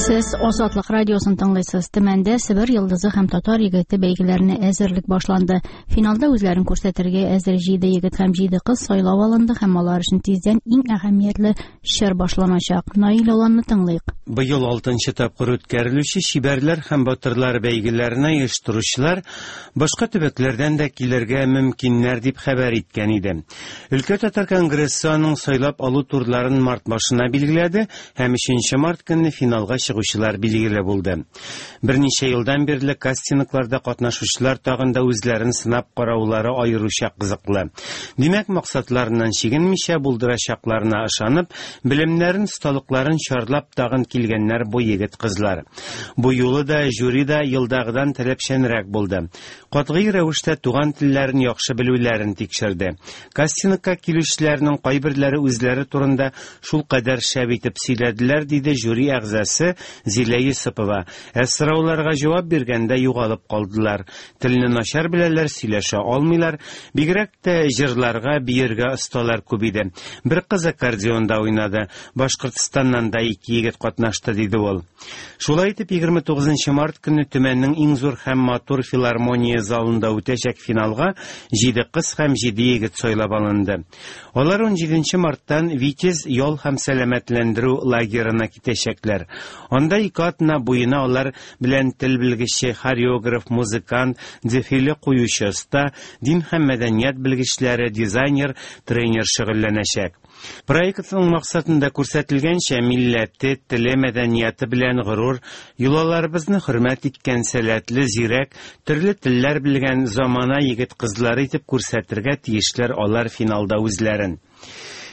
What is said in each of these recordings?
Сез Азатлык радиосын тыңлыйсыз. Төмәндә Себер йолдызы һәм Татар егете бәйгеләренә әзерлек башланды. Финалда үзләрен күрсәтергә әзер 7 егет һәм 7 кыз сайлап алынды һәм алар өчен тиздән иң әһәмиятле чор башланачак. Наил Аланны тыңлыйк. Быел алтынчы тапкыр үткәрелүче Чибәрләр һәм батырлар бәйгеләренә оештыручылар башка төбәкләрдән дә килергә мөмкиннәр дип хәбәр иткән иде. Өлкә татар конгрессы аның сайлап алу турларын март башына билгеләде һәм 3 март көнне финалга чыгучылар билгеле булды. Берничә елдан бирле кастингларда катнашучылар тагын да үзләрен сынап караулары аеруча кызыклы. Димәк, максатларыннан чигенмичә булдырачакларына ышанып, белемнәрен, осталыкларын чарлап тагын килгәннәр бу егет-кызлар. Бу юлы да жюри да елдагыдан таләпчәнрәк булды. Катгый рәвештә туган телләрен яхшы белүләрен тикшерде. Кастингка килүчеләрнең кайберләре үзләре турында шулкадәр шәп итеп сөйләделәр, диде жюри әгъзасы Зилә Йосыпова. Ә сорауларга җавап биргәндә югалып калдылар. Телне начар беләләр, сөйләшә алмыйлар. Бигрәк тә җырларга, биергә осталар күп иде. Бер кыз аккордеонда уйнады. Башкортстаннан да ике егет катнашты, диде ул. Шулай итеп, 29 март көнне Төмәннең иң зур һәм матур филармония залында үтәчәк финалга 7 кыз һәм 7 егет сайлап алынды. Алар 17 марттан Витязь ял һәм сәламәтләндерү лагерына китәчәкләр. Анда ике атна буена алар белән тел белгече, хореограф, музыкант, дефиле куючы оста, дин һәм мәдәният белгечләре, дизайнер, тренер шөгыльләнәчәк. Проектның максатында күрсәтелгәнчә, милләте, теле, мәдәнияте белән горур, йолаларыбызны хөрмәт иткән сәләтле, зирәк, төрле телләр белгән замана егет-кызлары итеп күрсәтергә тиешләр алар финалда үзләрен.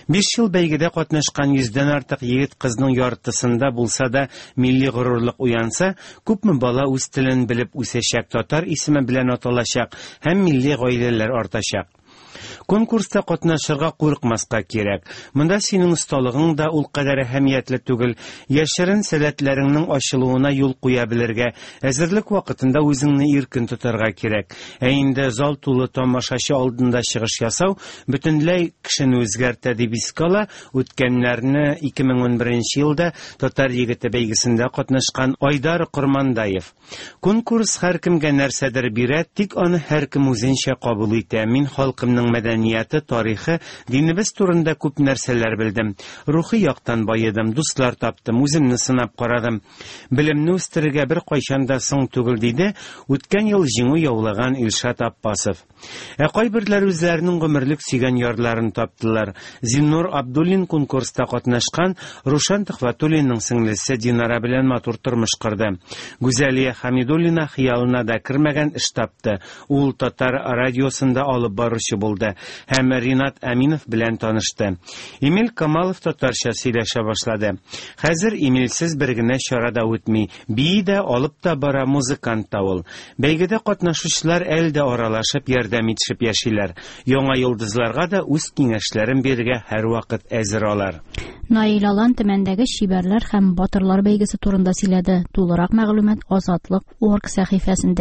5 ел бәйгедә катнашкан 100дән артык егет-кызның яртысында булса да милли горурлык уянса, күпме бала үз телен белеп үсәчәк, татар исеме белән аталачак һәм милли гаиләләр артачак. Конкурста катнашырга курыкмаска кирәк. Монда синең осталыгың да ул кадәр әһәмиятле түгел. Яшерен сәләтләреңнең ачылуына юл куя белергә, әзерлек вакытында үзеңне иркен тотарга кирәк. Ә инде зал тулы тамашачы алдында чыгыш ясау бөтенләй кешене үзгәртә дип искә ала үткәннәрне 2011 елда Татар егете бәйгесендә катнашкан Айдар Кормандаев. Конкурс һәркемгә нәрсәдер бирә, тик аны һәркем үзенчә кабул итә. Мин халкымның мәдәнияте, тарихы, динебез турында күп нәрсәләр белдем. Рухи яктан баедым, дуслар таптым, үземне сынап карадым. Белемне үстерергә беркайчан да соң түгел, диде үткән ел җиңү яулаган Илшат Аппасов. Ә кайберләре үзләренең гомерлек сөйгән ярларын таптылар. Зиннур Абдуллин конкурста катнашкан Рушан Төхвәтуллинның сеңлесе Динара белән матур тормыш корды. Гүзәлия Хамидуллина хыялына да кермәгән эш тапты. Ул татар радиосында алып баручы булды һәм Ринат Әминов белән танышты. Эмиль Камалов татарча сөйләшә башлады. Хәзер Эмильсез бер генә чара да үтми. Бии дә, алып та бара, музыкант та ул. Бәйгедә катнашучылар әле дә аралашып, ярдәм итешеп яшиләр. Яңа йолдызларга да үз киңәшләрен бирергә һәрвакыт әзер алар. Наил Алан Төмәндәге чибәрләр һәм батырлар бәйгесе турында сөйләде. Тулырак мәгълүмат Азатлык орг сәхифәсендә.